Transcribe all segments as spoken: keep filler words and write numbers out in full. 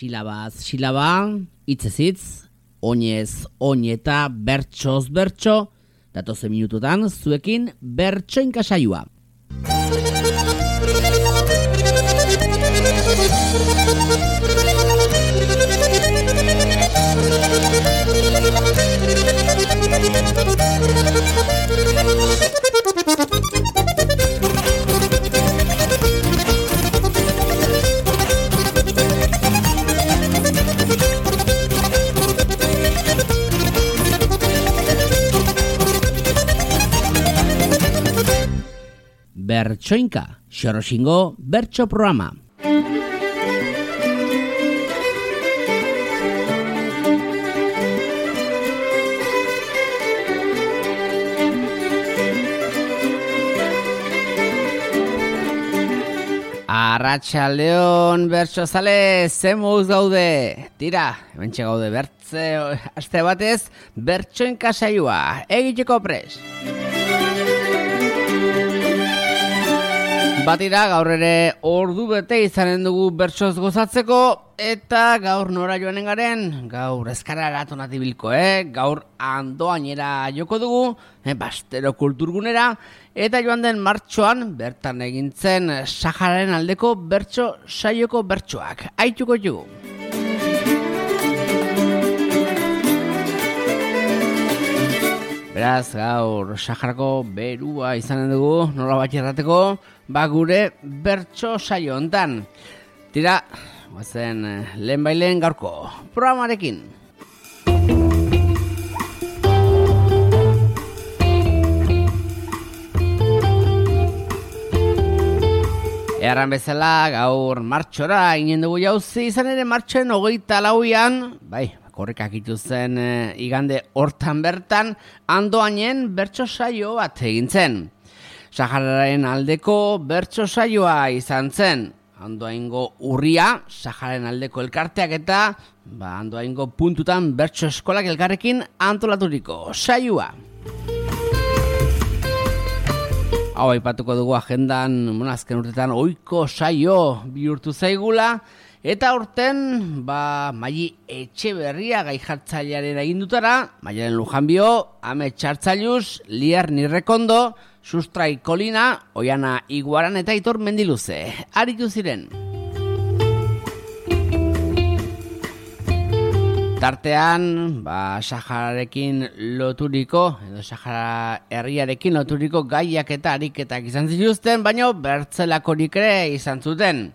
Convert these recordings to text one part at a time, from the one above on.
Silabaz silaba, hitzez hitz, oinez oin eta bertsoz bertso, datozen minututan zuekin bertsoinka saioa. Bertsoinka, Xoroxingo bertso programa. Arratsaldeon bertsozale, zemuz gaude. Tira, hementxe gaude bertze aste batez, bertsoinka saioa egiteko pres. Batira, gaur ere ordu bete izanen dugu bertsoz gozatzeko, eta gaur nora joanen garen, gaur ezkarara tonatibilko, eh? Gaur Andoainera joko dugu, eh, Bastero kulturgunera, eta joan den martxoan bertan egintzen Sahararen aldeko bertso saioko bertsoak. Aituko jugu. Beraz, gaur Saharako berua izanen dugu, nola bat errateko, ba gure bertso saio hontan. Tira, guazen lehen bailen gaurko programarekin. Erran bezala, gaur martxora inen dugu jauzi, izan ere martxoen hogeita lauian, bai, korrikak ituzen e, igande hortan bertan, Andoainen bertso saio bat egin zen. Sahararen aldeko bertso saioa izan zen. Andoaingo urria, Sahararen aldeko elkarteak eta ba, Andoaingo puntutan bertso eskolak elkarrekin antolaturiko saioa. Hau aipatuko dugu agendan, bueno, azken urtetan ohiko saio bihurtu zaigula, eta urten, ba, Maili Etxeberria gai jartzailearen agindutara, Maialen Lujanbio, Ame Txartzailuz, Lier Nirrekondo, Sustrai Kolina, Oiana Iguaran eta Aitor Mendiluze. Aritu ziren. Tartean, ba, Sahararekin loturiko, edo Sahara herriarekin loturiko gaiak eta ariketak izan zituzten, baina bertzelakorik ere izan zuten.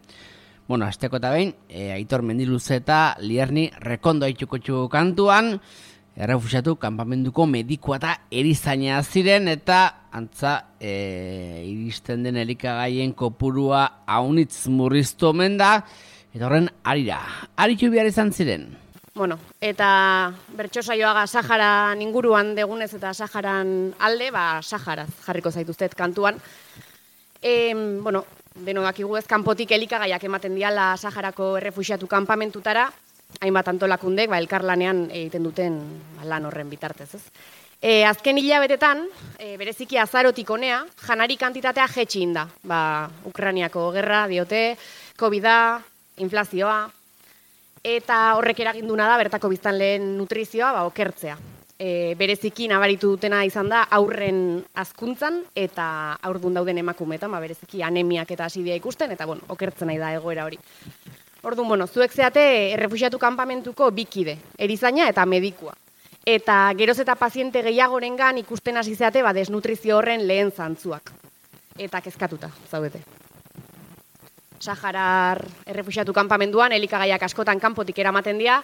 Bueno, azteko eta behin, e, Aitor Mendiluze eta Lierni Rekondo aituko txuko kantuan, errefusiatu kanpamenduko medikua eta erizaina ziren, eta antza e, iristen den elikagaien kopurua haunitz murriztu omen da, eta horren arira, aritu behar izan ziren. Bueno, eta bertso saioaga Saharan inguruan degunez eta Saharan alde, ba, Saharaz jarriko zaituztet kantuan. E, bueno, denok dakigu ez kanpotik elikagaiak ematen diala Saharako errefuxiatu kanpamentutara, hainbat antolakundek ba, elkarlanean egiten duten ba, lan horren bitartez, ez? E, azken hilabetetan, e, bereziki azarotik honea, janari kantitatea jetxi inda. Ba, Ukrainiako gerra diote, Covida, inflazioa, eta horrek eraginduna da bertako biztanleen nutrizioa ba, okertzea. E, bereziki nabaritu dutena izan da aurren hazkuntzan eta aurdun dauden emakumeetan, ba, bereziki anemiak eta asidia ikusten, eta bueno, okertzen nahi da egoera hori. Orduan, bueno, zuek zeate errefuxiatu kanpamentuko bikide, erizaina eta medikua. Eta geroz eta paziente gehiagorengan ikusten hasi zeate ba, desnutrizio horren lehen zantzuak. Eta kezkatuta, zaudete. Saharar errefuxiatu kanpamenduan elikagaiak askotan kanpotik eramaten dira,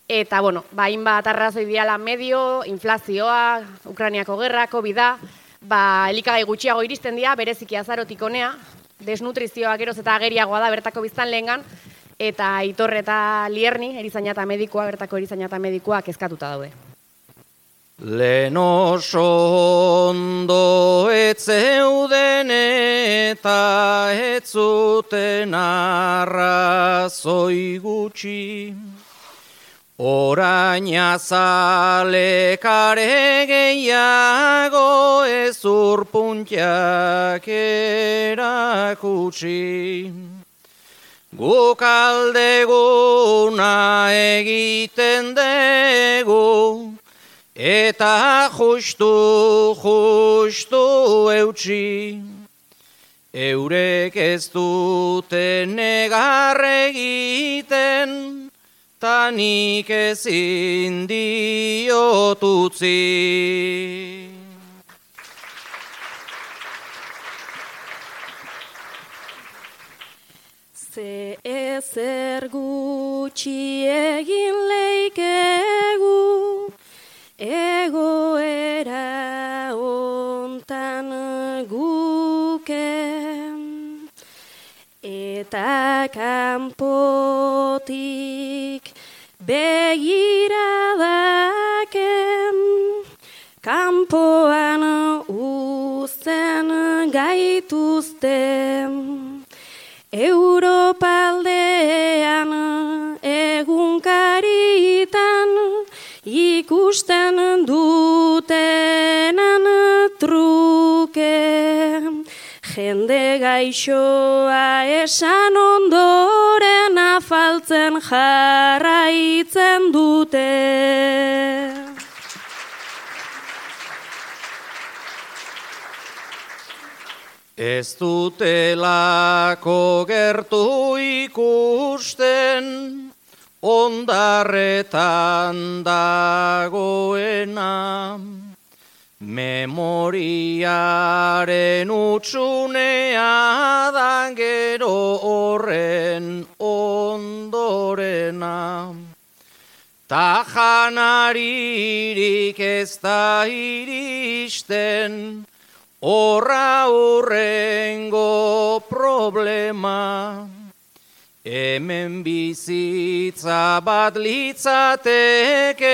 eta, bueno, ba, hainbat arrazoi diala medio, inflazioa, Ukrainiako gerra, Covida, ba, elikagai gutxiago iristen dira, bereziki azarotik honea, desnutrizioa geroz eta ageriagoa da bertako biztanleengan, eta Aitor eta Lierni, erizaina eta medikua, bertako erizaina eta medikua kezkatuta daude. Lehen oso ondo etzeuden eta etzuten arrazoi gutxi, orain azalekare gehiago ezurpuntiak erakutsi. Guk aldeguna egiten dugu, eta justu, justu eutsi. Eurek ez dute negar egiten, ta nik ezin diot utzi. Ze ezer gutxi egin leikegu, egoera ontan guke, eta kanpotik begiradaken, kanpoan uzten gaituzten. Europaldean egunkaritan ikusten dutenan truke. Jende gaixoa esan ondoren afaltzen jarraitzen dute. Ez dutelako gertu ikusten, ondarretan dagoena. Memoriaren utxunea da gero horren ondorena. Ta janaririk ez da iristen, horra hurrengo problema. Hemen bizitza bat litzateke,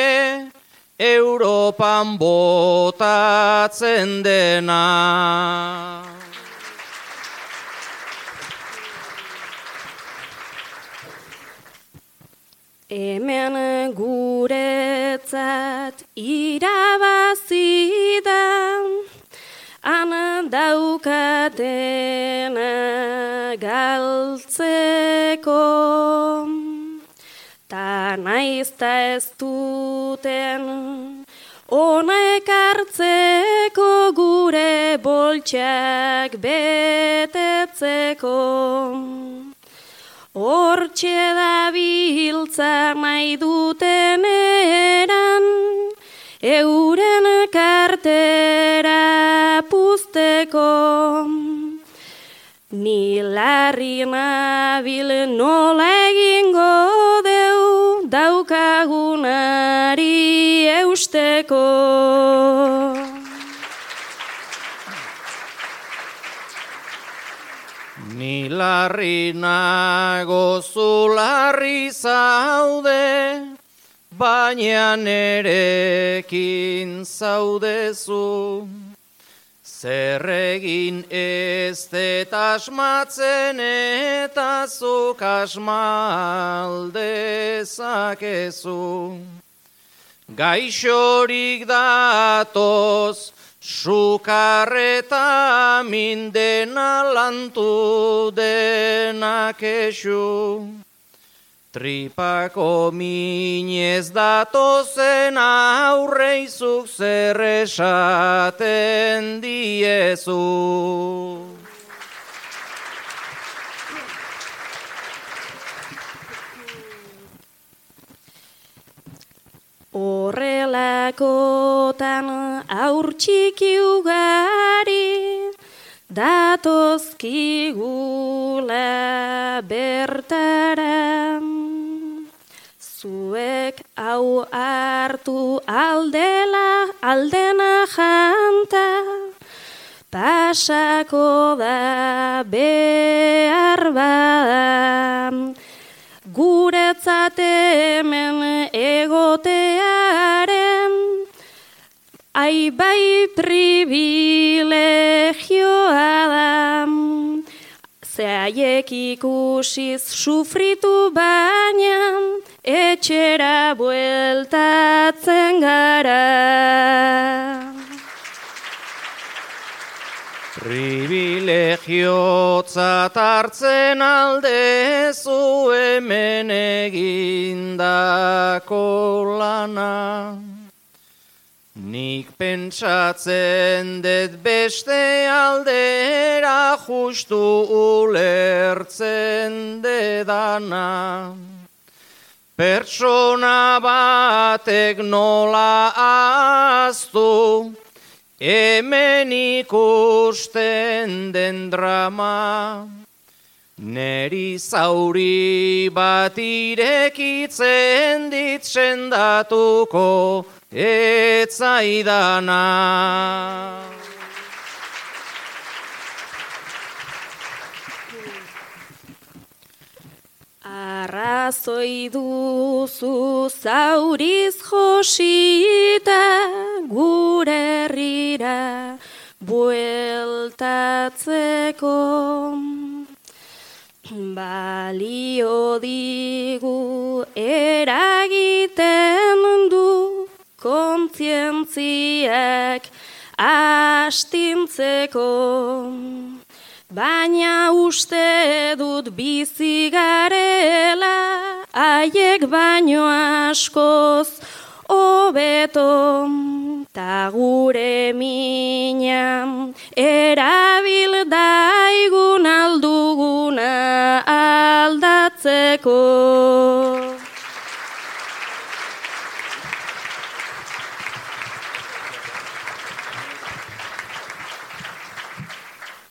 Europan botatzen dena. Hemen guretzat irabazi da, han daukatena galtzeko, ta naizta ez duten honek hartzeko gure boltsak betetzeko. Hortxe dabiltza nahi duten eran, euren kartera puzteko. Ni larri nabil nola egingo deu daukagunari eusteko. Ni larri nago zu larri zaude, baina nerekin zaudezu. Zer egin ez det asmatzen eta zuk asmaldezakezu. Gaixorik datoz, sukarreta mindena lantu denak esu. Tripako minez datozen aurreizuk zer esaten diezu. Horrelakotan aur txiki ugari datozkigula bertara. Zuek hau hartu aldela aldena janta, pasako da behar bada. Guretzat hemen egotearen, aibai privilegioa da. Zeaiek ikusiz sufritu baina, etxera bueltatzen gara. Privilegio Erlijiotzat hartzen aldezu hemen egindako lana. Nik pentsatzen dut beste aldera justu ulertzen dedana. Pertsona batek nola ahaztu, hemen ikusten den drama. Neri zauri bat irekitzen dit sendatuko etzaidana. Arrazoi duzu zauriz josita gure herrira bueltatzeko. Balio digu eragiten du kontzientziak astintzeko. Baina uste dut bizi garela, haiek baino askoz hobeto. Ta gure mina erabil daigun alduguna aldatzeko.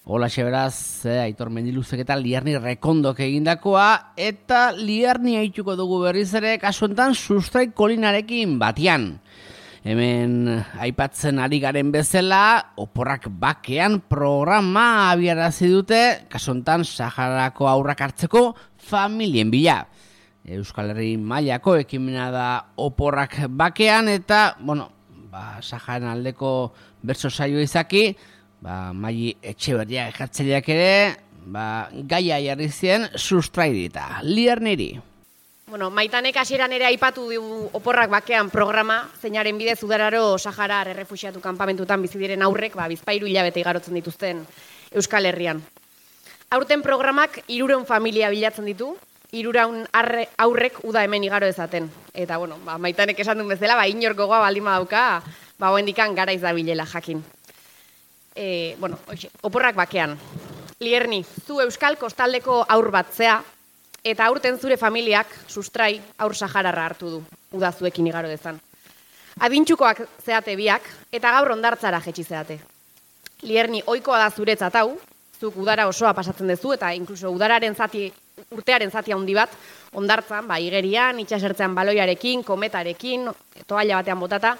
Hola beraz, eh, Aitor Mendiluzek eta Lierni Rekondok egindakoa, eta Lierni haituko dugu berriz ere, kasu enten Sustrai Kolinarekin batian. Hemen aipatzen ari garen bezala, Oporrak Bakean programa abiarazi dute, kasu enten Saharako haurrak hartzeko familien bila. Euskal Herri mailako ekimena da Oporrak Bakean, eta, bueno, ba, Saharan aldeko bertso saio izaki, ba, Maili Etxeberria ejartzaileak ere, ba, gaia jarri zien sustrairita. Lierniri. Bueno, Maitanek hasieran ere aipatu du Oporrak Bakean programa, zeinaren bidez udararo Saharar errefuxiatu kanpamentutan bizi diren aurrek, ba, bizpahiru hilabete igarotzen dituzten Euskal Herrian. Aurten programak hirurehun familia bilatzen ditu, hirurehun aurrek uda hemen igaro dezaten. Eta, bueno, ba, Maitanek esan duen bezala, ba, inor gogoa baldin badauka, ba, hoendikan garaiz dabilela jakin. E, bueno, oixe, Oporrak Bakean. Lierni, zu Euskal kostaldeko aur bat zea, eta aurten zure familiak sustrai aur sahararra hartu du, udazuekin igaro dezan. Adintxukoak zeate biak, eta gaur ondartzara jetxi zeate. Lierni, ohikoa da zuretzat hau, zuk udara osoa pasatzen duzu, eta inkluso udararen zati, urtearen zati handi bat, ondartzan, ba, igerian, itxasertzean baloiarekin, kometarekin, toalla batean botata,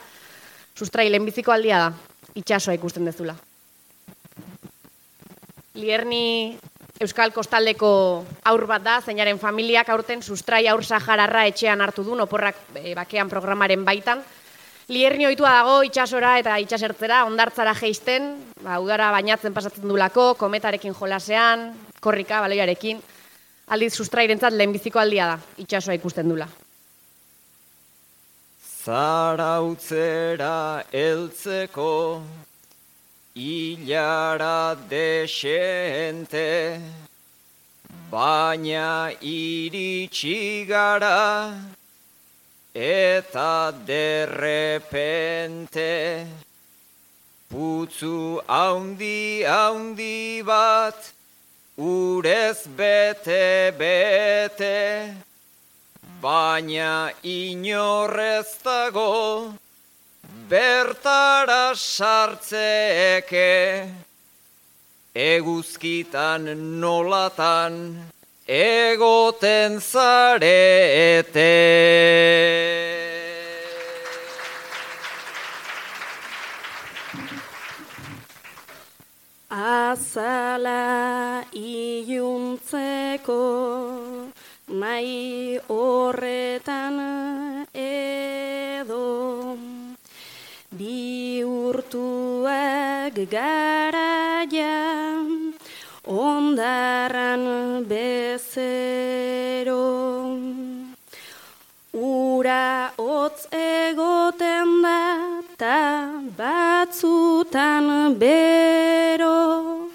sustrai lehenbiziko aldia da, itxasoa ikusten dezula. Lierni Euskal kostaldeko aur bat da, zeinaren familiak aurten sustrai aur sahararra etxean hartu du, Oporrak Bakean programaren baitan. Lierni ohitua dago itxasora eta itxasertzera, ondartzara jeisten, ba, udara bainatzen pasatzen dulako, kometarekin jolasean, korrika, baloiarekin. Aldiz sustrairentzat lehenbiziko aldia da, itxasoa ikusten dula. Zarautzera heltzeko ilara desente, baina iritsi gara eta derrepente putzu haundi haundi bat urez bete bete, baina inorrez dago bertara sartzeke, eguzkitan nolatan egoten zarete. Azala iluntzeko nahi horretan edo bihurtuak garaian ondarran bezero. Ura hotz egoten da ta batzutan bero,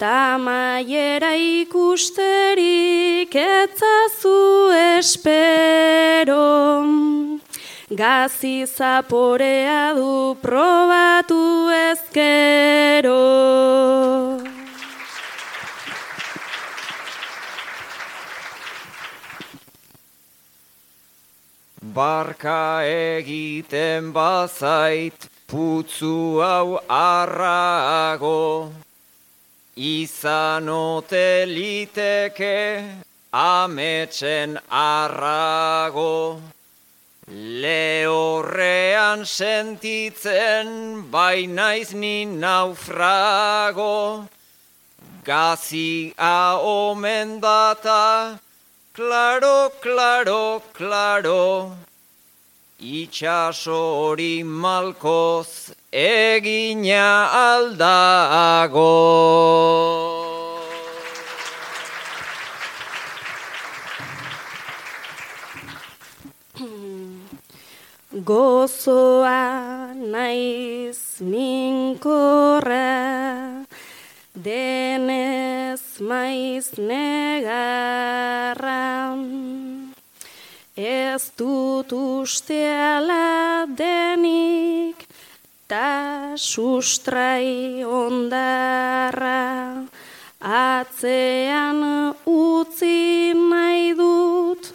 ta maiera ikusterik etzazu espero. Gazi zaporea du probatu ezkero. Barka egiten bazait putzu hau arrago, izan ote liteke ametsen arrago. Lehorrean sentitzen bainaiz ni naufrago, gazia omen data, klaro, klaro, klaro, itxaso hori malkoz egina aldago. Gozoa naiz minkorra, denez maiz negarra. Ez dut usteala denik, ta sustrai ondarra. Atzean utzi nahi dut,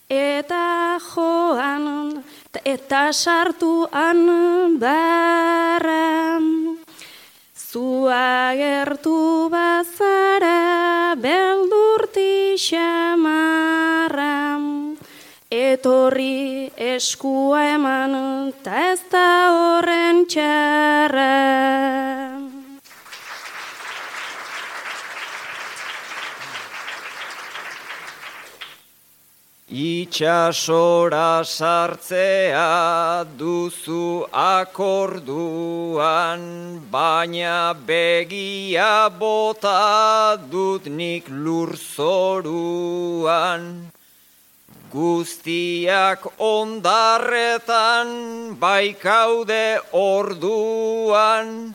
eta joan, eta sartuan barra. Zu agertu bazara beldurti xamarra. Etorri eskua eman, ta ez da horren txarra. Itxasora sartzea duzu akorduan, baina begia bota dut nik lurzoruan. Guztiak ondarretan baikaude orduan,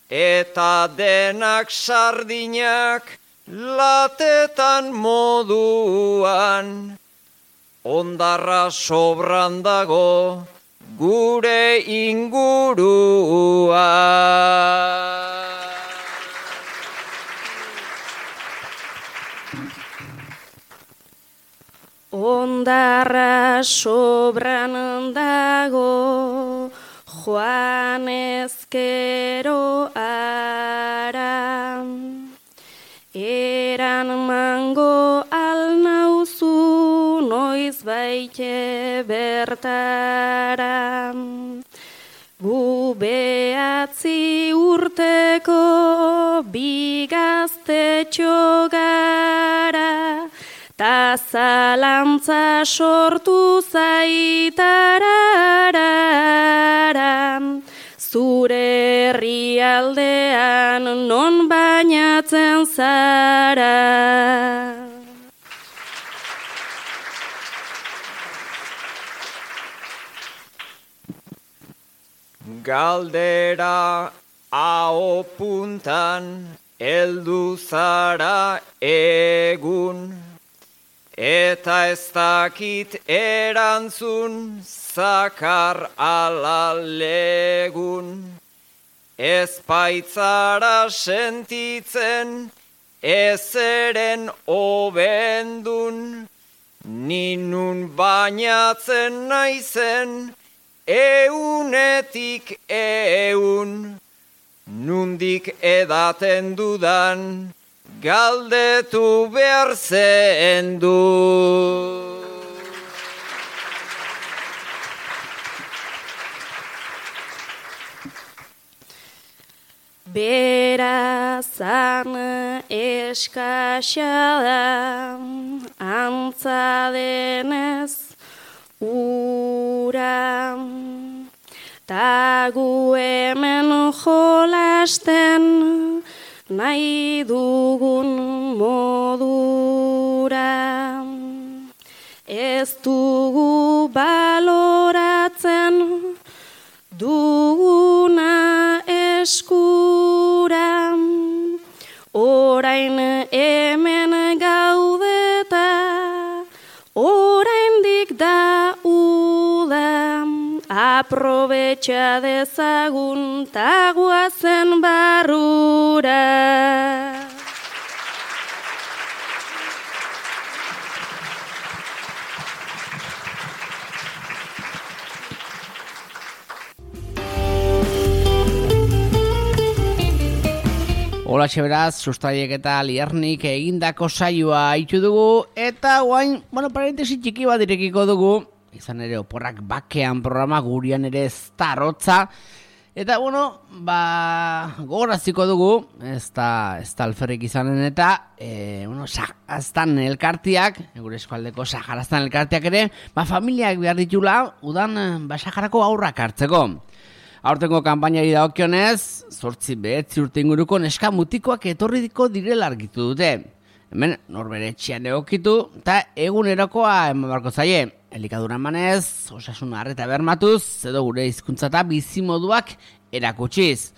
eta denak sardinak latetan moduan. Ondarra sobran dago gure ingurua. Ondarra sobran dago joan ezkero ara. Eran mango alnauzu noiz baite bertara. Gu behatzi urteko bigaztetxo gara, ta zalantza sortu zaitarara. Zure herrialdean non bainatzen zara. Galdera aho puntan heldu zara egun, eta ez dakit erantzun zakar ala legun. Ez baitzara sentitzen ezeren obendun, ninun bainatzen naizen eunetik eun. Nundik edaten dudan galdetu behar zen du. Berazan eskasa da, antza denez ura. Ta gu hemen jolasten nahi dugun modura. Ez dugu baloratzen duguna eskura. aprobetxa dezagun taguazen barrura. Hola beraz, Sustraiek eta Liernik egindako saioa haitu dugu, eta guain, bueno, parentesi txiki bat direkiko dugu, izan ere oporrak bakean programa gurian ere ez da arrotza, eta bueno, ba, gogoraziko dugu, ez da, ez da alferrik izanen eta, e, bueno, Saharaztan elkartiak, gure eskualdeko Saharaztan elkartiak ere, ba, familiak behar ditula, udan, ba, Saharako aurrak hartzeko. Aurtengo kanpainari dagokionez, zortzi behetzi urte inguruko neska mutikoak etorriko direla argitu dute. Hemen norbere etxean egokitu eta egunerokoa eman barko zaie. Elikadura emanez, osasun arreta bermatuz, edo gure hizkuntza eta bizimoduak erakutsiz.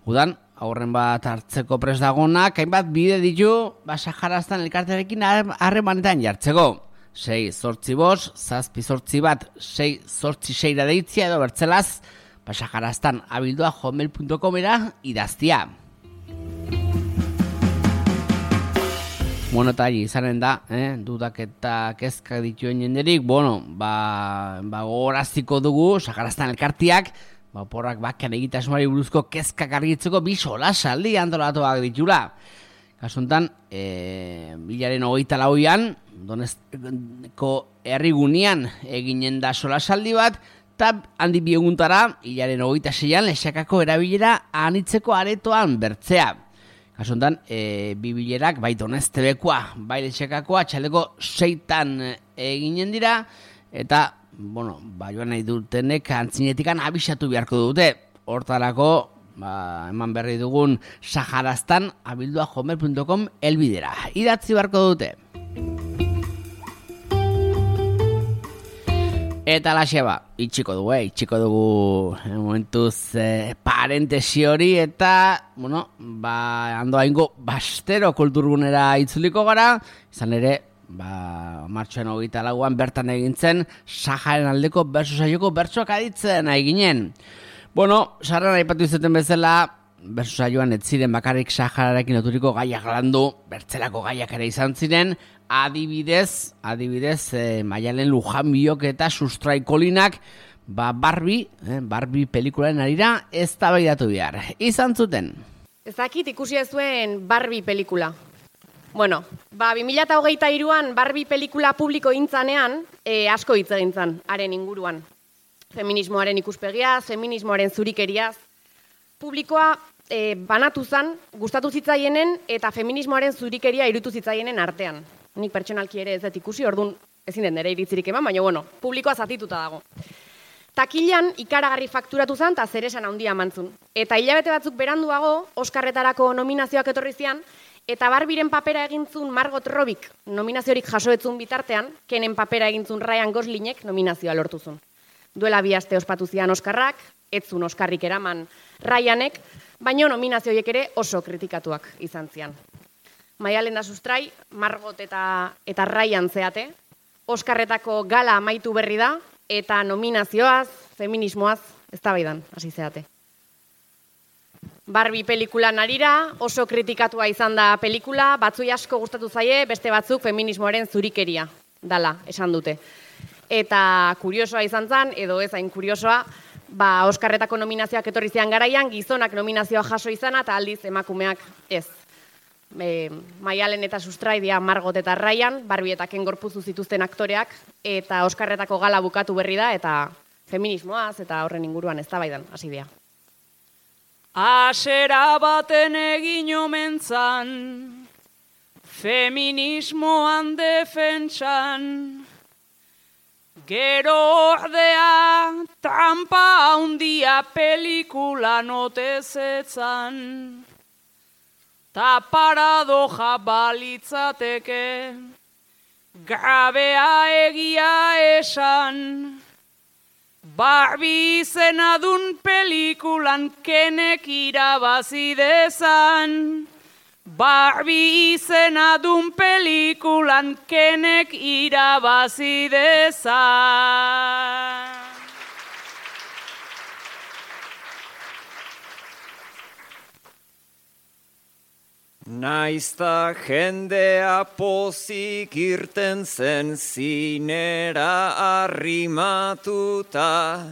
Udan, aurren bat hartzeko prest dagonak, hainbat bide ditu, ba Saharaztan elkartearekin harremanetan jartzeko. Sei zortzi bos, zazpi zortzi bat, sei zortzi seira deitzia edo bertzelaz, Saharaztan abildua hotmail punto comera idaztia. Bueno, eta izanen da, eh? dudak eta kezka dituen jenderik, bueno, ba, ba gogoraziko dugu, Saharaztan elkartiak, ba, porrak bakean egitasmoari buruzko kezkak argitzeko bi solasaldi antolatuak ditula. Kasuntan, e, bilaren hogeita lauian, Donezko herrigunean eginen da solasaldi bat, eta handi bi eguntara, hilaren hogeita seian, Lexakako erabilera anitzeko aretoan bertzea. Kasuntan, e, bi bilerak, bai Doneztebekoa, bai Lexakakoa, txaleko seitan eginen dira, eta, bueno, ba, joan nahi dutenek antzinetikan abisatu beharko dute. Hortarako, ba, eman berri dugun Saharaztan abildua hotmail punto com elbidera. Idatzi beharko dute. Eta laxe ba, itxiko dugu, eh? itxiko dugu eh, momentuz eh, parentesi hori, eta, bueno, ba, ando haingo bastero kulturgunera itzuliko gara, izan ere, ba, martxoan hogeita lauan bertan egintzen, Saharen aldeko berso saioko bertsoak aditzen eginen. Bueno, sarran aipatu izuten bezala, berso saioan ez ziren bakarrik Sahararekin loturiko gaiak landu, bertzelako gaiak ere izan ziren, Adibidez, adibidez, eh, Maialen Lujan biok eta Sustraikolinak, ba, Barbie, eh, Barbie pelikularen arira ez tabaidatu behar. Izan zuten. Ezakit ikusi ez zuen Barbie pelikula. Bueno, ba, bi mila hogeita hiruan Barbie pelikula publiko intzanean, e, asko hitz egin zan, haren inguruan. Feminismoaren ikuspegiaz, feminismoaren zurikeriaz. Publikoa e, banatu zan, gustatu zitzaienen eta feminismoaren zurikeria irutu zitzaienen artean. Nik pertsonalki ere ez dut ikusi, orduan ezin den nire iritzirik eman, baina bueno, publikoa zatituta dago. Takilan ikaragarri fakturatu zen eta zeresan handia emantzun. Eta hilabete batzuk beranduago, Oskarretarako nominazioak etorri zian, eta Barbiren papera egintzun Margot Robbik nominaziorik jasoetzun bitartean, Kenen papera egintzun Ryan Goslingek nominazioa lortuzun. Duela bi aste ospatu zian Oskarrak, etzun Oskarrik eraman Ryanek, baina nominazioiek ere oso kritikatuak izan zian. Maialen da Sustrai, Margot eta, eta Ryan zeate, Oskarretako gala amaitu berri da, eta nominazioaz, feminismoaz, eztabaidan hasi zeate. Barbie pelikulan arira, oso kritikatua izan da pelikula, batzui asko gustatu zaie, beste batzuk feminismoaren zurikeria dala, esan dute. Eta kuriosoa izan zen, edo ez hain kuriosoa, ba, Oskarretako nominazioak etorri zian garaian, gizonak nominazioa jaso izana, eta aldiz emakumeak ez. E, Maialen eta Sustrai dira Margot eta Ryan, Barbie eta Ken gorpuzu zituzten aktoreak, eta Oskarretako gala bukatu berri da, eta feminismoaz eta horren inguruan eztabaidan hasi dira. Asera baten egin omentzan, feminismoan defentsan, gero ordea trampa handia pelikula notezetzan. Ta paradoja balitzateke, grabea egia esan, Barbie izenadun pelikulan Kenek irabazi dezan. Barbie izenadun pelikulan Kenek irabazi dezan. Naizta jendea pozik irten zen zinera arrimatuta,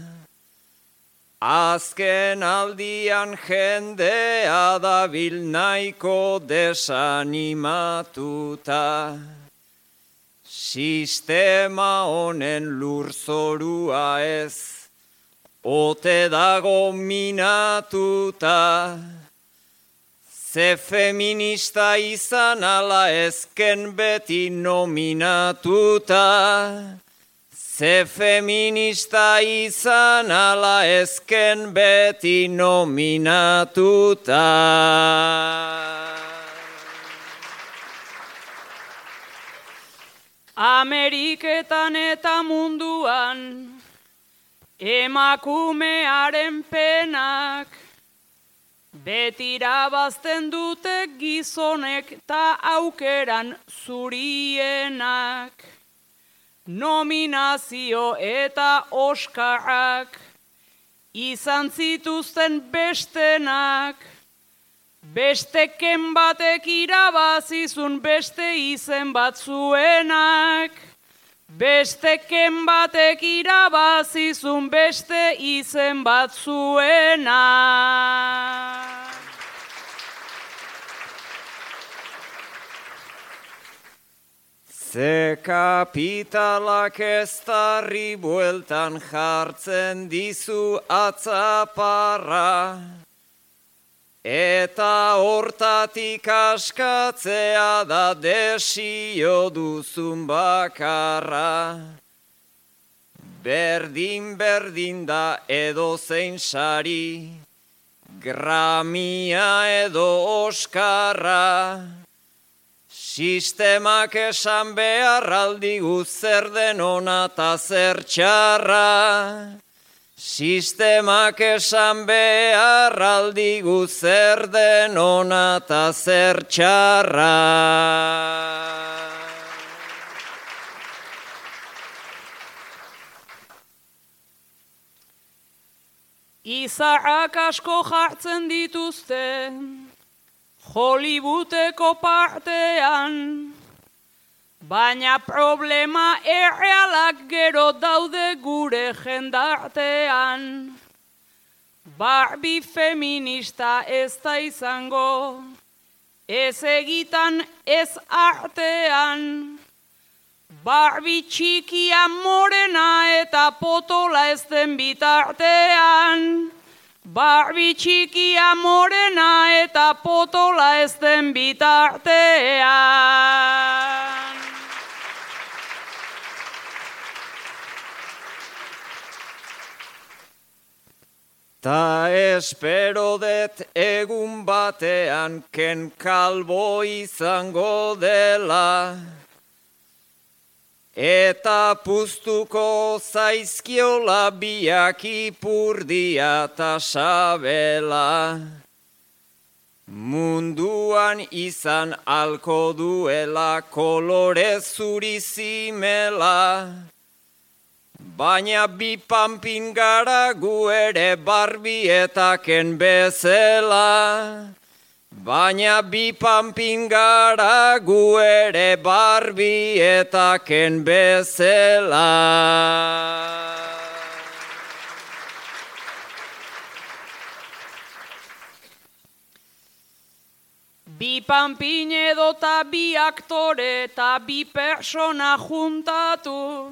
azken aldian jendea dabil nahiko desanimatuta. Sistema honen lurzorua ez, ote dago minatuta. Ze feminista izan ala ezken beti nominatuta. Ze feminista izan ala ezken beti nominatuta. Ameriketan eta munduan emakumearen penak beti irabazten dute gizonek ta aukeran zurienak. Nominazio eta Oskarrak izan zituzten bestenak. Besteken batek irabazizun beste izen batzuenak. Besteken batek irabazizun beste izen batzuenak. Ze kapitalak eztarri bueltan jartzen dizu atzaparra, eta hortatik askatzea da desio duzun bakarra. Berdin berdin da edozein sari, Gramia edo Oskarra. Sistemak esan behar aldigu zer den ona ta zer txarra. Sistemak esan behar aldigu zer den ona ta zer txarra. Izarrak asko jartzen dituzte Hollywoodeko partean, baina problema errealak gero daude gure jendartean. Barbie feminista ez da izango, ez egitan ez artean. Barbie txikia morena eta potola ez den bitartean. Barbie txikia morena eta potola ez den bitartean. Ta espero det egun batean Ken Kalbo izango dela, eta puztuko zaizkiola biak ipurdia ta sabela. Munduan izan alko duela kolore zuri zimela, baina bi panpin gara gu ere Barbietaken bezala. Baina bi panpin gara gu ere Barbietaken bezala. Bi panpin edota bi aktore eta bi persona juntatu,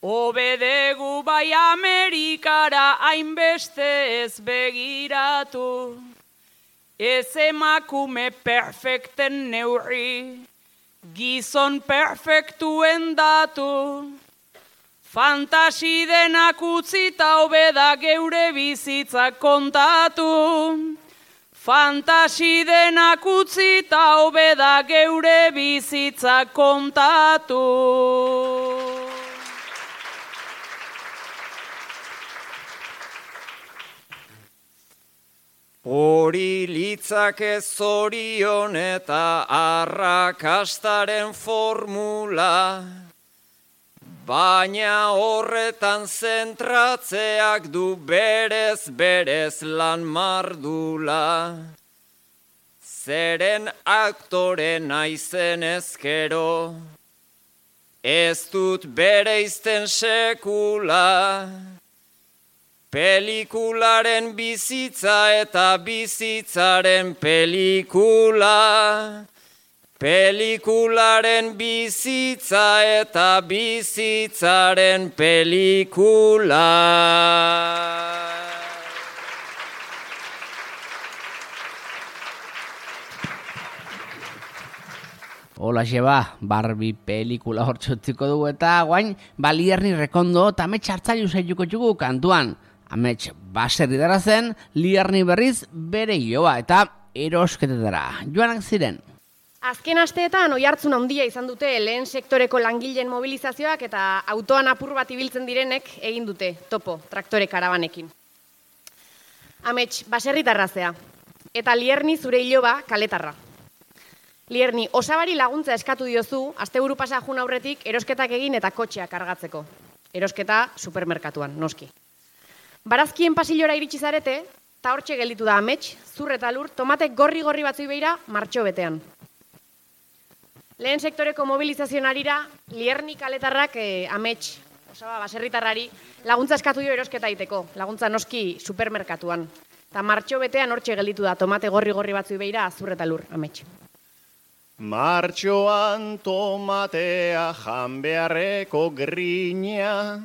obedegu bai Amerikara hainbeste ez begiratu. Ez emakume perfekten neurri, gizon perfektuen datu. Fantasi denak utzita hobeda geure bizitzak kontatu. Fantasi denak utzita hobeda geure bizitzak kontatu. Hori litzake zorion eta arrakastaren formula, baina horretan zentratzeak du berez berez lan mardula. zeren aktore naizen ezkero. Ez dut bereizten sekula, pelikularen bizitza eta bizitzaren pelikula. Pelikularen bizitza eta bizitzaren pelikula. Hola xeba, Barbie pelikula hortxotziko dugu eta guain Balierni Rekondo eta amets hartzailu zaituko txugu kantuan. Amets baserri dara zen, Lierni berriz bere joa eta erosketetara. Joanak ziren. Azken asteetan oihartzun handia izan dute lehen sektoreko langileen mobilizazioak eta autoan apur bat ibiltzen direnek egin dute topo traktore karabanekin. Amets baserritarra zea eta Lierni zure iloba kaletarra. Lierni, osabari laguntza eskatu diozu, asteburu pasa jun aurretik erosketak egin eta kotxeak kargatzeko. Erosketa supermerkatuan, noski. Barazkien pasillora iritsi zarete, eta hortxe gelditu da amets, zur eta lur, tomate gorri-gorri batzui beira martxo betean. Lehen sektoreko mobilizazioan arira, Lierni kaletarrak eh, amets, osaba baserritarrari, laguntza eskatu dio erosketa egiteko, laguntza noski supermerkatuan. Eta martxo betean hortxe gelditu da tomate gorri-gorri batzui beira zur eta lur, amets. Martxoan tomatea jan beharreko grina,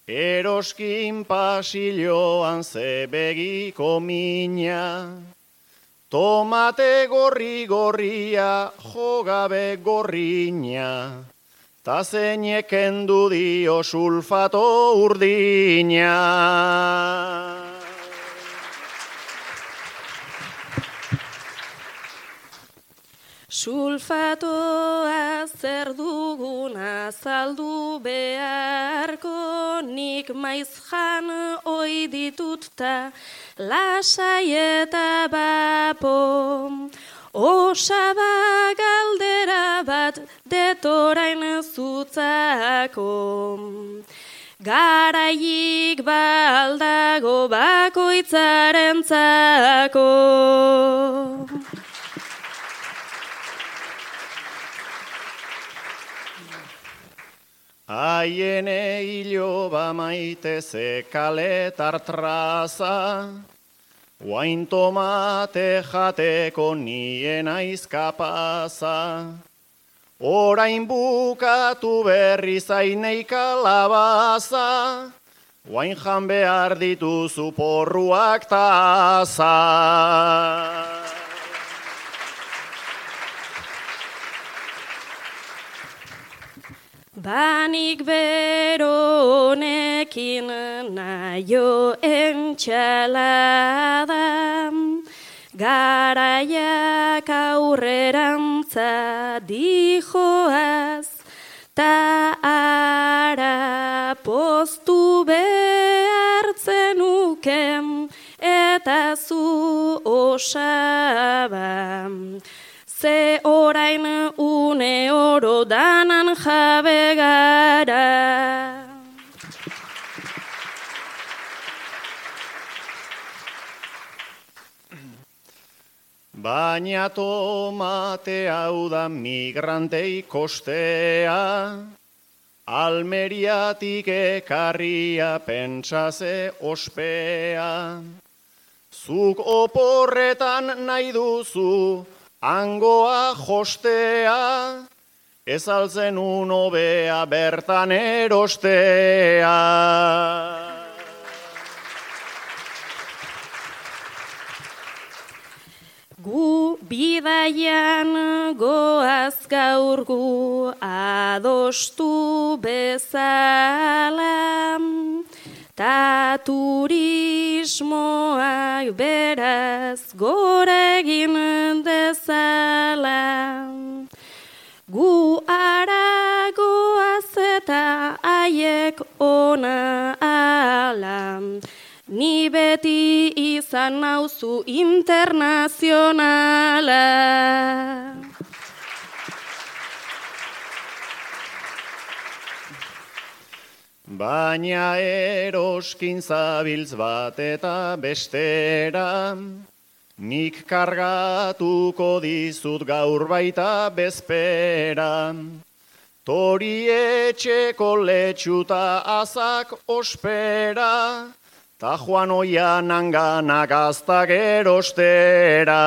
eroskin pasilloan zebegiko mina. Tomate gorri-gorria jogabe gorrina, ta zeinek kendu dio sulfato urdina. Sulfatoa zer dugun azaldu beharko, nik maiz jan oi ditut ta lasai eta bapo. Osaba galdera bat detorain zutzako, garaiik baldago bakoitzarentzako. Aiene iloba maite ze kaletar traza, guain tomate jateko nien aiz kapaza. Orain bukatu berri zainei kalabaza, guain jan behar dituzu porruak taza. Banik bero honekin naio entxalada, garaiak aurrerantza dijoaz, ta ara postu behartzen uken eta zu osaba. Ze orain une oro danan jabe gara. Baina tomate hau da migrantei kostea, Almeriatik ekarria pentsaze ospea. Zuk oporretan nahi duzu hangoa jostea, ez altzen unobea bertan erostea. Gu bidaian goaz gaur gu adostu bezala, ta turismoak beraz gora egin dezala. Gu ara goaz eta haiek ona ala, ni beti izan nauzu internazionala. Baina eroskin zabiltz bat eta bestera, nik kargatuko dizut gaur baita bezpera. Tori etxeko letxuta azak ospera, ta joan oian anganak aztak erostera.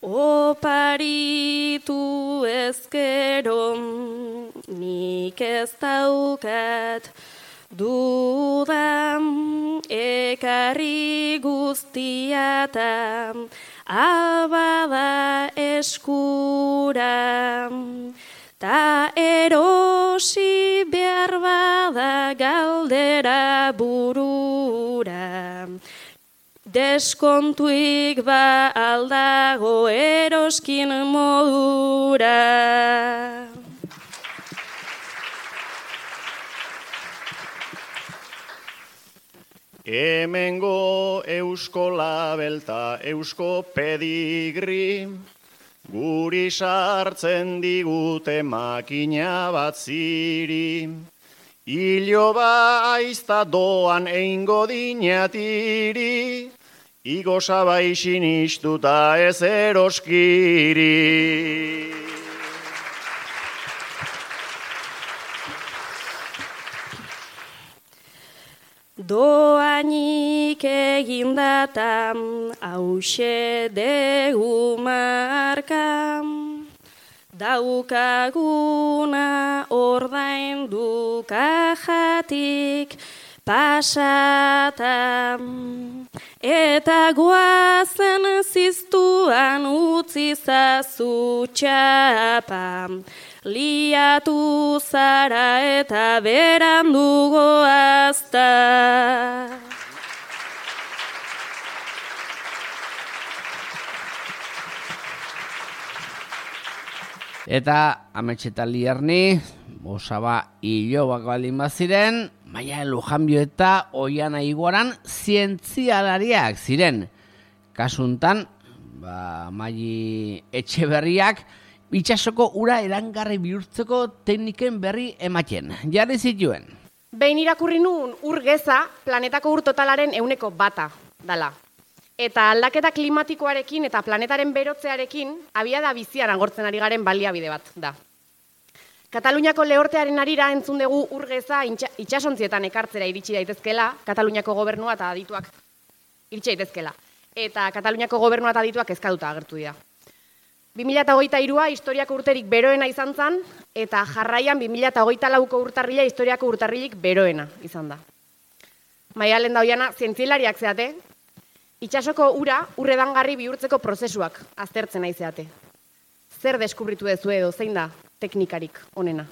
Oparitu ezkero, nik ez daukat dudan, ekarri guztiata abada eskura, ta erosi behar bada galdera burura. Deskontuik ba aldago eroskin modura. Hemengo eusko labelta, eusko pedigri, guri sartzen digute makina bat ziri. Iloba aizta doan eingo dinatiri, igo sabaixin istuta ez eroskiri. Doainik egindatam, hause degu markam, daukaguna ordaindu kajatik pasatam, eta goazen ziztuan utzi zazu txapam, liatu zara eta berandu goazta. Eta ametxeta lierni, osaba hilobak baldin baziren, Maia Lujanbio eta Oiana Iguaran zientzialariak ziren. Kasuntan, ba, Mai Etxeberriak itsasoko ura erangarri bihurtzeko tekniken berri ematen. Jarri zituen. Behin irakurri nun ur geza planetako ur totalaren ehuneko bata dala. Eta aldaketa klimatikoarekin eta planetaren berotzearekin abiada bizian agortzen ari garen baliabide bat da. Kataluniako lehortearen arira entzun dugu ur geza itsasontzietan ekartzera iritsi daitezkela, Kataluniako gobernua eta adituak iritsi daitezkela. Eta Kataluniako gobernua eta adituak kezkatuta agertu dira. bi mila hogeita hirua historiako urterik beroena izan zen, eta jarraian bi mila hogeita lauko urtarrila historiako urtarrilik beroena izan da. Maialen da Oiana, zientzialariak zeate, itsasoko ura urredangarri bihurtzeko prozesuak aztertzen nahi zeate. Zer deskubritu dezu edo, zein da teknikarik onena?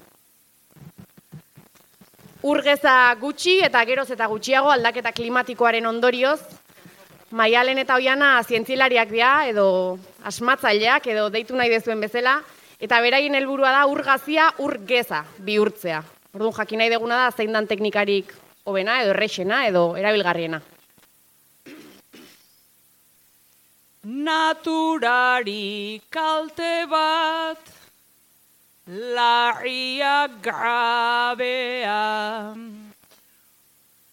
Ur geza gutxi eta geroz eta gutxiago aldaketa klimatikoaren ondorioz, Maialen eta Oiana zientzialariak dira, edo asmatzaileak, edo deitu nahi dezuen bezala, eta beraien helburua da ur gazia ur geza bihurtzea. Orduan jakin nahi deguna da zein dan teknikarik hobena, edo errexena, edo erabilgarriena. Naturari kalte bat, larria grabea,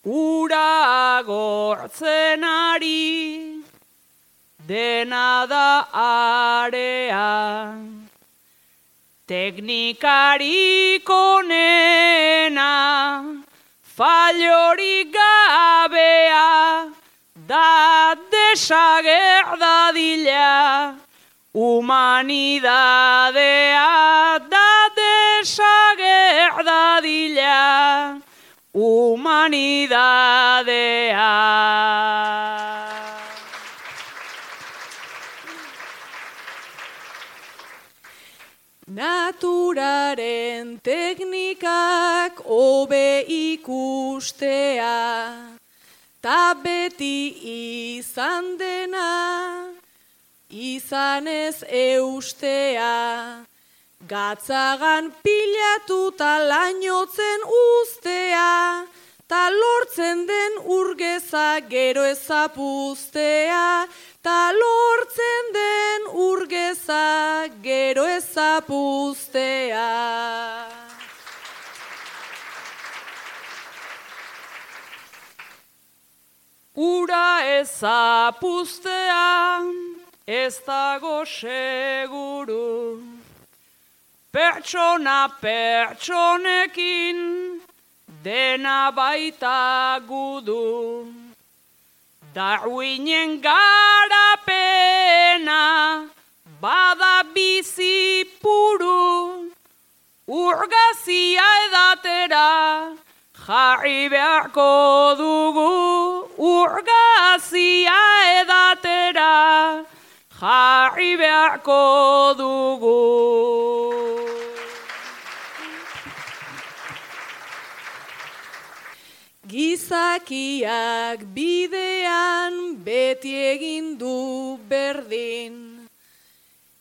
ura agortzen ari, dena da area. Teknikarik onena, fallorik gabea, da desagerdadila, humanidadea, da desagerdadila, humanidadea. Naturaren teknikak hobe ikustea, ta beti izan dena, izanez eustea, gatzagan pilatuta lainotzen ustea, ta lortzen den urgeza gero ezapuztea, ta lortzen den urgeza gero ezapuztea. ura ezapuztea, ez dago seguru. Pertsona pertsonekin, dena baita gudu. Darwinen garapena, bada bizi puru. Urgazia edatera, jarri beharko dugu. Urgazia edatera, jarri beharko dugu. Gizakiak bidean beti egin du berdin,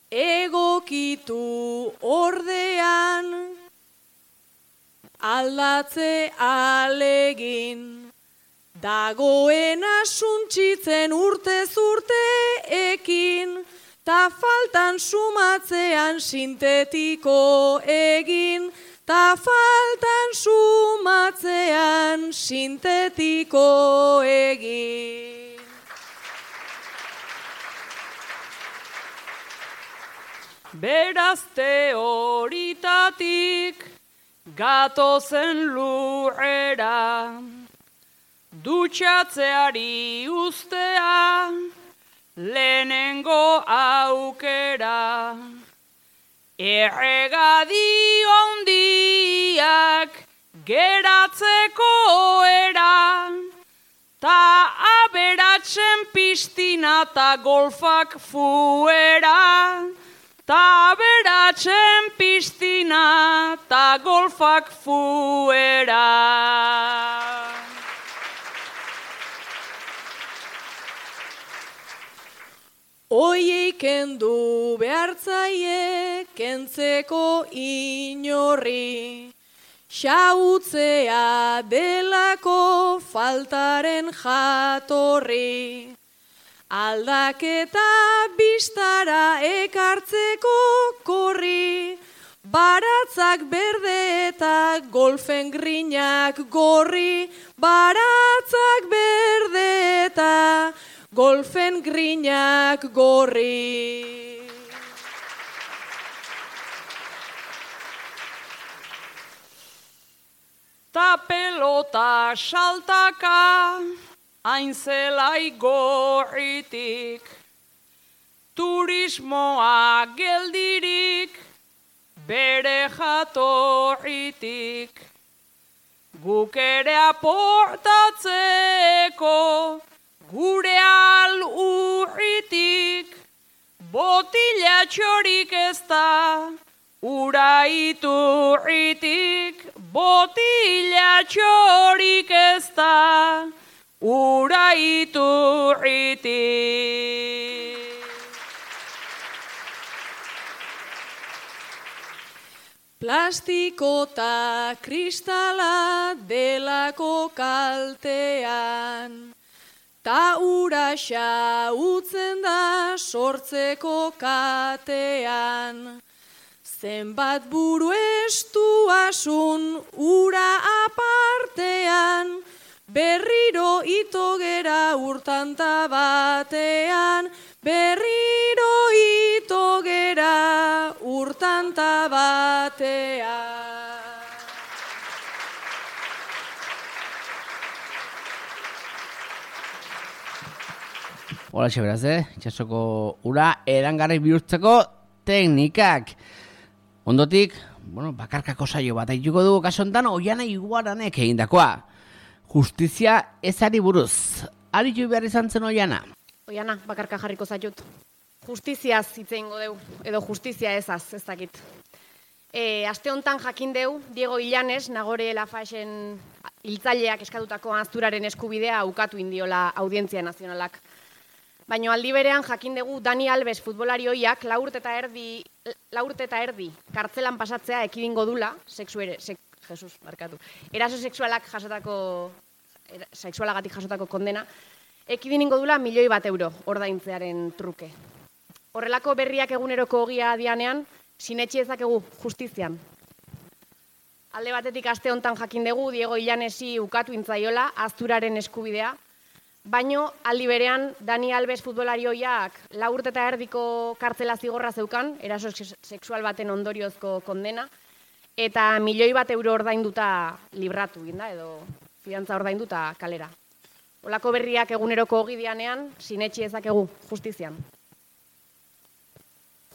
egokitu ordean aldatze alegin. Dagoena suntsitzen urtez urte ekin, ta faltan sumatzean sintetiko egin, ta faltan sumatzean sintetiko egin. Beraz teoritatik gatozen lurrera, dutxatzeari ustea lehenengo aukera. Erregadi ondiak geratzeko era, ta aberatzen piztina ta golfak fuera. Ta aberatzen piztina ta golfak fuera. Oiei kendu behartzaie kentzeko inorri, xautzea delako faltaren jatorri. Aldaketa bistara ekartzeko korri, baratzak berde eta golfen grinak gorri. Baratzak berde eta golfen grinak gorri. Ta pelota saltaka, hain zelai gorritik. Turismoa geldirik, bere jatorritik. Guk ere aportatzeko, gure alurritik, botila txorik ez da, ura iturritik. Botila txorik ez da, ura iturritik. Plastiko ta kristala delako kaltean, ta ura xautzen da sortzeko katean. Zenbat buru estuasun ura apartean, berriro ito gera urtanta batean. Berriro ito gera urtanta batean. Hola, beraz, eh? Itxasoko ura erangarri bihurtzeko teknikak. Ondotik, bueno, bakarkako saio bat aituko dugu kaso hontan Oiana Iguaranek egindakoa. Justizia ezari buruz. Aritu behar izan zen Oiana? Oiana, bakarka jarriko zaitut. Justiziaz hitz egingo deu, edo justizia ezaz, ez dakit. E, aste hontan jakin deu, Diego Illanes, Nagore Lafaxen hiltzaileak eskatutako azturaren eskubidea ukatu indiola Audientzia Nazionalak. Baina aldi berean jakin dugu Dani Alves futbolari hoiak laurte eta erdi, laurte eta erdi kartzelan pasatzea ekidingo dula, sexu ere, sek, Jesus, barkatu, eraso sexualak jasotako, era, sexualagatik jasotako kondena, ekidingo dula milioi bat euro ordaintzearen truke. Horrelako berriak eguneroko ogia dianean, sinetxi ezakegu justizian. Alde batetik aste hontan jakin dugu Diego Illanesi ukatu intzaiola azturaren eskubidea, baino aldi berean Dani Alves futbolarioiak lau urte eta erdiko kartzela zigorra zeukan, eraso sexual baten ondoriozko kondena, eta milioi bat euro ordainduta libratu ginda, edo fidantza ordainduta kalera. Olako berriak eguneroko ogidianean, sinetxi ezakegu justizian.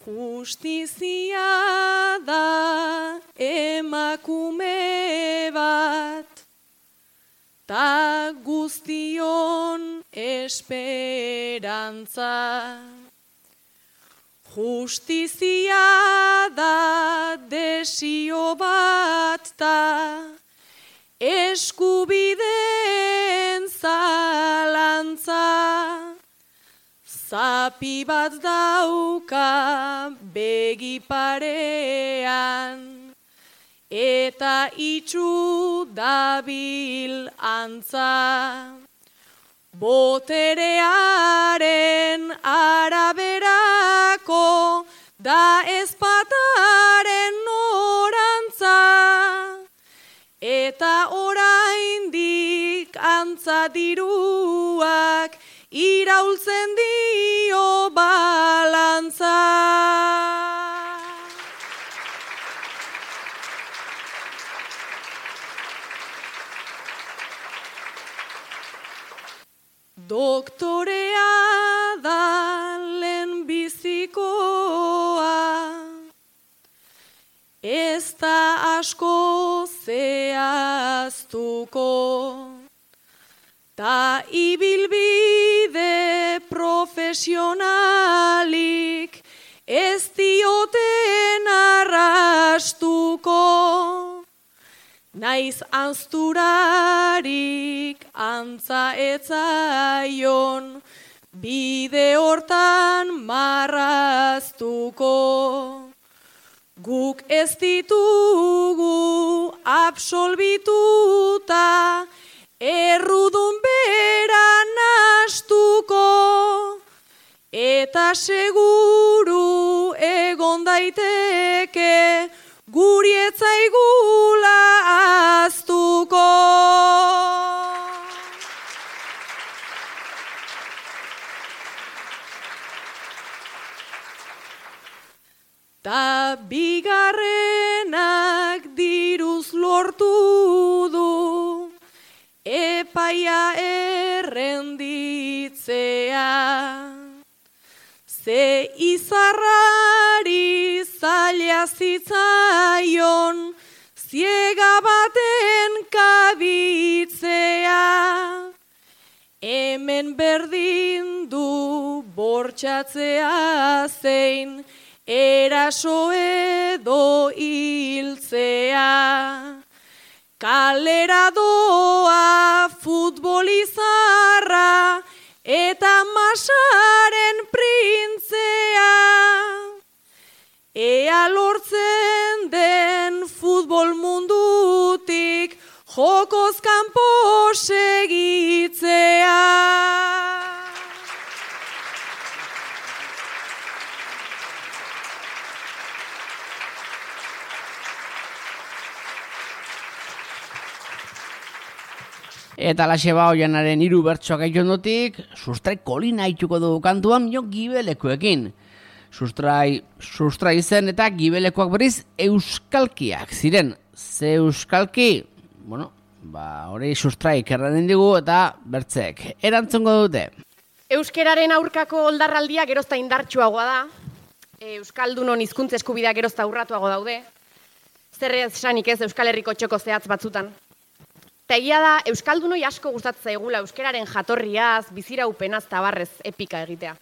Justizia da emakume bat, ta guztion esperantza. Justizia da desio bat, ta eskubideen zalantza. Zapi bat dauka begi parean, eta itxu dabil antza. Boterearen araberako da ezpataren norantza, eta oraindik antza diruak iraultzen dio balantza. Doktorea da lehenbizikoa, ez da asko zehaztuko, ta ibilbide profesionalik ez dioten arrastuko. Naiz anzturarik antza etzaion, bide hortan marraztuko. Guk ez ditugu absolbituta, errudun bera nastuko, eta seguru egon daiteke guri etzaigula aztuko. Ta bigarrenak diruz lortu du, epaia errenditzea. Ze izarrari zaila zitzaion, ziega baten kabitzea. Hemen berdin du bortxatzea zein, eraso edo hiltzea. Kalera doa futbolizarra eta masaren printzea. Ea lortzen den futbol mundutik jokoz kanpo segitzea. Eta la xeba oianaren hiru bertsoak aitondotik, sustrai kolina ituko dugu kantuan jo gibelekoekin. Sustrai, sustrai zen eta gibelekoak berriz euskalkiak ziren. Ze euskalki, bueno, ba, hori sustraik erranen digu eta bertzek erantzongo dute. Euskeraren aurkako oldarraldia gerozta indartsuagoa da. Euskaldunon hizkuntza eskubideak gerozta urratuago daude. Zer esanik ez Euskal Herriko txoko zehatz batzutan. Eta egia da, euskaldunoi asko gustatzen zaigula euskeraren jatorriaz, biziraupenaz tabarrez epika egitea.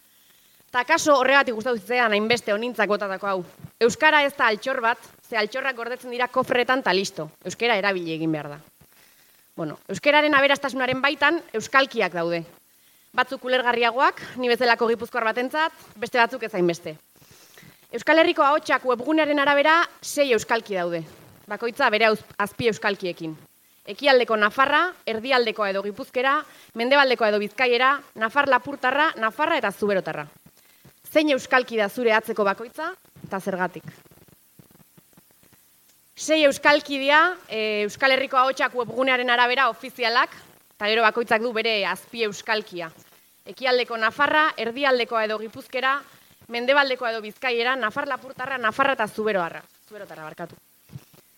Ta kaso horregatik gustatu zitzean hainbeste honintzak botatako hau. Euskara ez da altxor bat, ze altxorrak gordetzen dira kofretan ta listo. Euskera erabili egin behar da. Bueno, euskeraren aberastasunaren baitan euskalkiak daude. Batzuk ulergarriagoak, ni bezalako gipuzkoar batentzat, beste batzuk ez hainbeste. Euskal Herriko ahotsak webgunearen arabera sei euskalki daude. Bakoitza bere azpi euskalkiekin. Ekialdeko Nafarra, erdialdeko edo Gipuzkera, mendebaldeko edo Bizkaiera, Nafar Lapurtarra, Nafarra eta Zuberotarra. Zein euskalki da zure atzeko bakoitza eta zergatik? Sei euskalki dira, e, Euskal Herriko ahotsak webgunearen arabera ofizialak, Eta gero bakoitzak du bere azpi euskalkia. Ekialdeko Nafarra, erdialdekoa edo Gipuzkera, mendebaldekoa edo Bizkaiera, Nafar Lapurtarra, Nafarra eta Zuberoarra. Zuberotarra barkatu.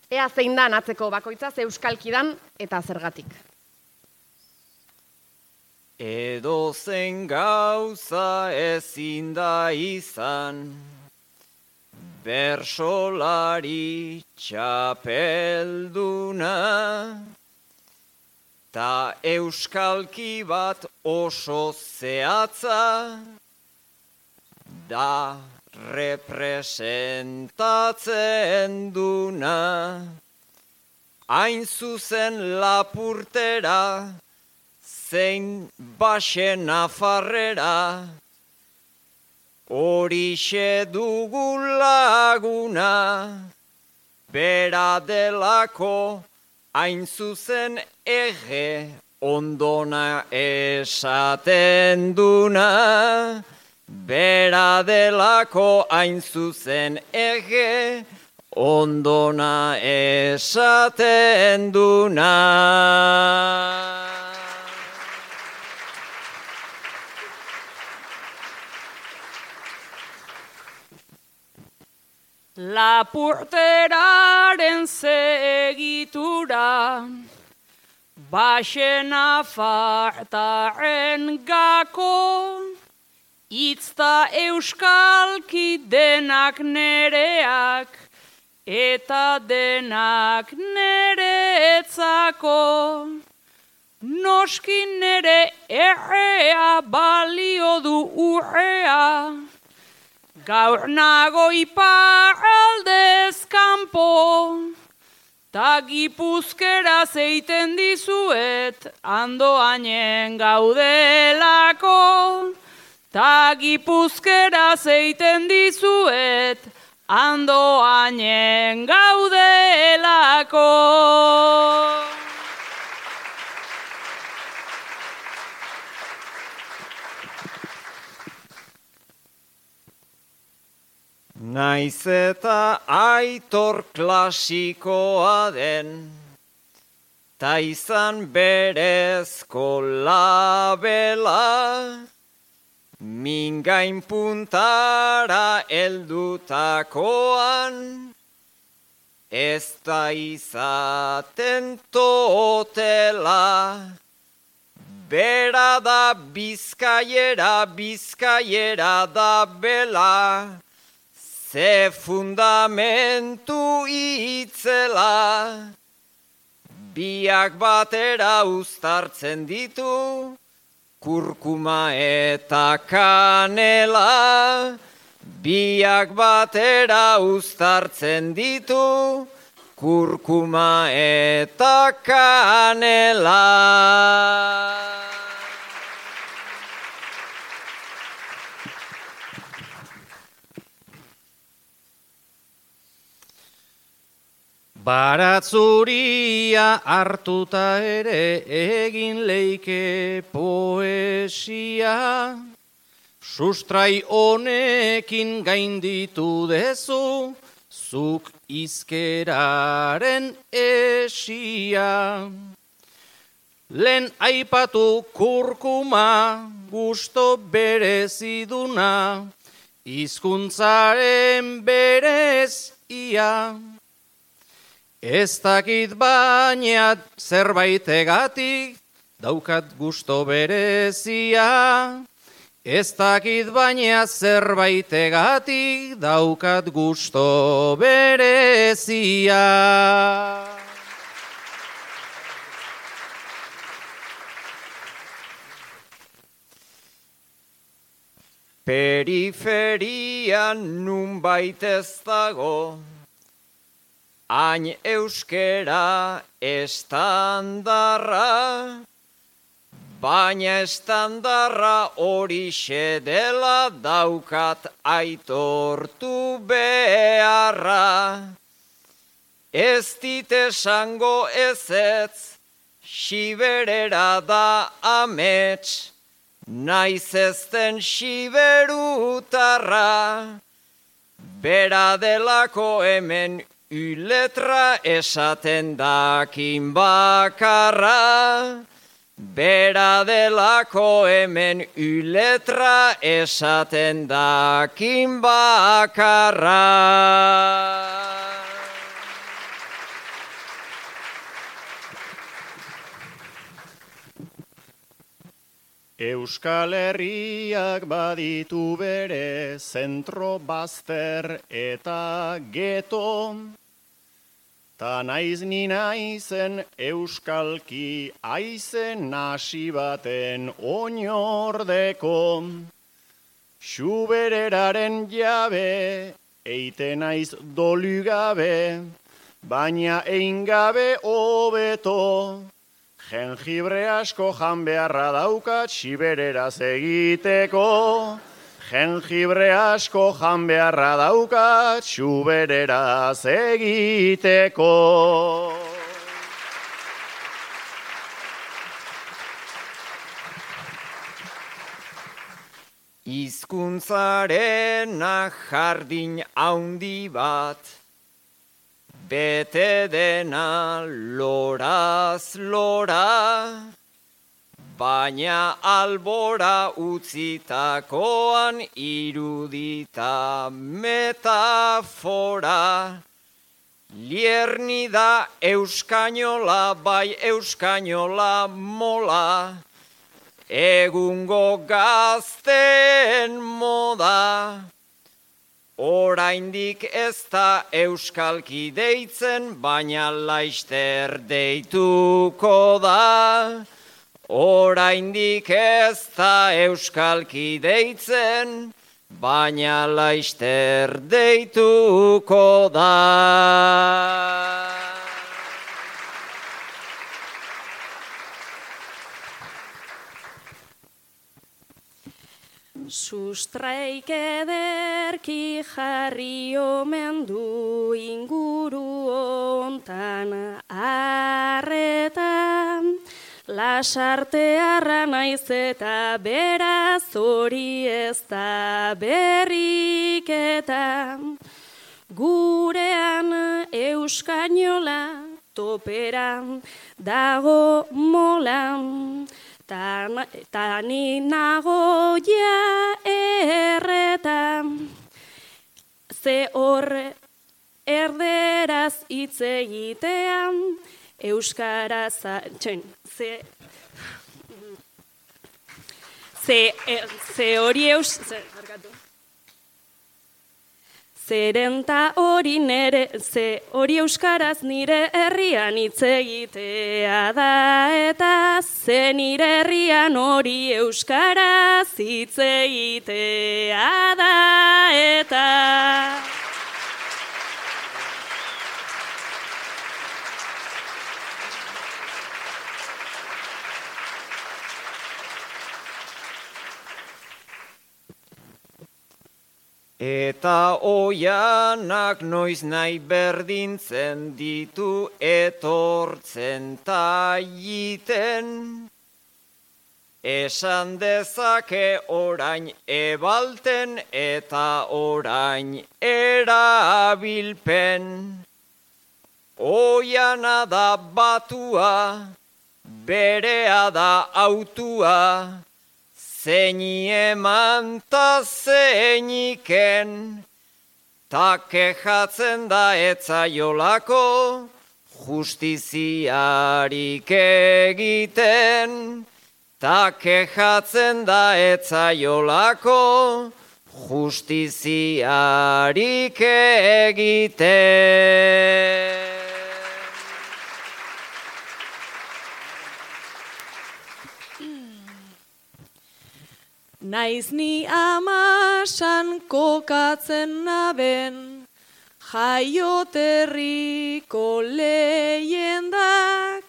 Ea zein da atzeko bakoitza ze euskalki dan eta zergatik. Edo zen gauza ezin da izan, bersolari txapelduna, ta euskalki bat oso zehatza, da representatzen duna. Hain zuzen Lapurtera, zein Baxe Nafarrera, horixe dugu laguna, bera delako hain zuzen ege ondona esaten duna, bera delako hain zuzen ege ondona esaten duna. Lapurteraren segitura, Baxe Nafartaren gako, itzta euskalki denak nereak, eta denak neretzako. Noski nere errea balio du urrea, gaur nago iparraldez kanpo, ta Gipuzkera zeiten dizuet, andoainen gaudelako. Ta Gipuzkera zeiten dizuet, andoainen gaudelako. Naiz eta Aitor klasikoa den, ta izan berezko labela, mingain puntara eldutakoan, ez da izaten totela. Bera da bizkaiera, bizkaiera da bela, ze fundamentu itzela, biak batera uztartzen ditu, kurkuma eta kanela, biak batera uztartzen ditu, kurkuma eta kanela. Baratzuria hartuta ere egin leike poesia, sustrai honekin gainditu dezu, zuk izkeraren esia. Lehen aipatu kurkuma, gusto bereziduna, hizkuntzaren berezia. Ez dakit baina zerbaitegatik daukat gusto berezia. Ez dakit baina zerbaitegatik daukat gusto berezia. Periferian nunbait ez dago, hain euskera estandarra, baina estandarra horixe dela daukat aitortu beharra. Ez dit esango ezetz, xiberera da amets, naiz ezten xiberutarra, bera delako hemen uletra esaten dakin bakarra, Bera delako hemen uletra esaten dakin bakarra. Euskal Herriak baditu bere zentro bazter eta geto, ta naiz ni naizen euskalki aizen nasi baten oinordeko. Xubereraren jabe, eite naiz dolu gabe, baina ein gabe hobeto. Jengibre asko jan beharra daukat xibereraz egiteko. Jengibre asko jan beharra daukat xubereraz egiteko. Hizkuntzarena jardin haundi bat, bete dena loraz lora, baina albora utzitakoan irudita metafora. Lierni da euskainola, bai euskainola mola, egungo gazten moda. Oraindik ez da euskalki deitzen, baina laister deituko da. Oraindik ez da euskalki deitzen, baina laister deituko da. Sustraik ederki jarri omen du inguru ontan arretan, lasartearra naiz eta beraz hori ez da berriketa. Gurean euskainola toperan dago molan, Ta, ta ni nago ja erretan, ze horre erderaz hitz egitean, euskaraz, txen, ze, ze, ze hori eus, ze, barkatu. Zerenta hori nere, ze hori euskaraz nire herrian hitz egitea da, eta ze nire herrian hori euskaraz hitz egitea da, eta... Eta oianak noiz nahi berdintzen ditu etortzen ta jiten. Esan dezake orain ebalten eta orain erabilpen. Oiana da batua, berea da autua, zeini eman ta zeiniken, ta kejatzen da etzaiolako justiziarik egiten, ta kejatzen da etzaiolako justiziarik egiten. Naiz ni amasan kokatzen naben, jaioterriko leyendak,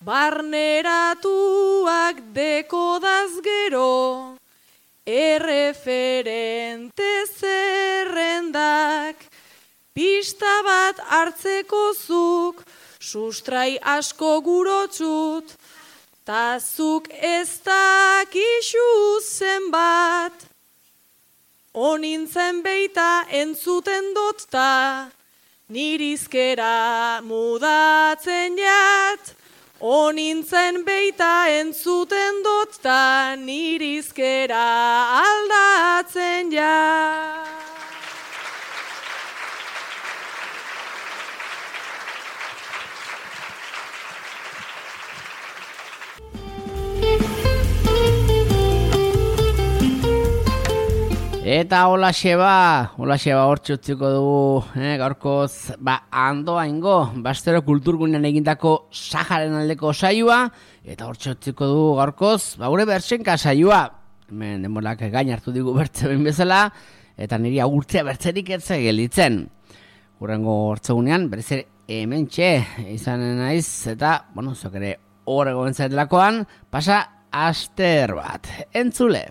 barneratuak dekodaz gero, erreferente zerrendak, pista bat hartzeko zuk, sustrai asko gurotzut, ta zuk ez dakizu zenbat, onintzen beita entzuten dot ta, nirizkera mudatzen jat, onintzen beita entzuten dut, ta nirizkera aldatzen ja. Eta hola xeba, hola xeba hortxe utziko dugu, eh, gaurkoz, ba, andoa ingo, Bastero kulturgunean egindako Saharen aldeko saioa, eta hortxe utziko dugu gaurkoz, ba, gure bertsenka saioa, hemen denborak gain hartu digu bertze behin bezala, eta niri agurtzea bertzerik etze gelditzen. Hurrengo hortzegunean, berez ere hemen txe, izanen naiz, eta, bueno, zok ere horrego entzatelakoan, pasa aster bat, entzule.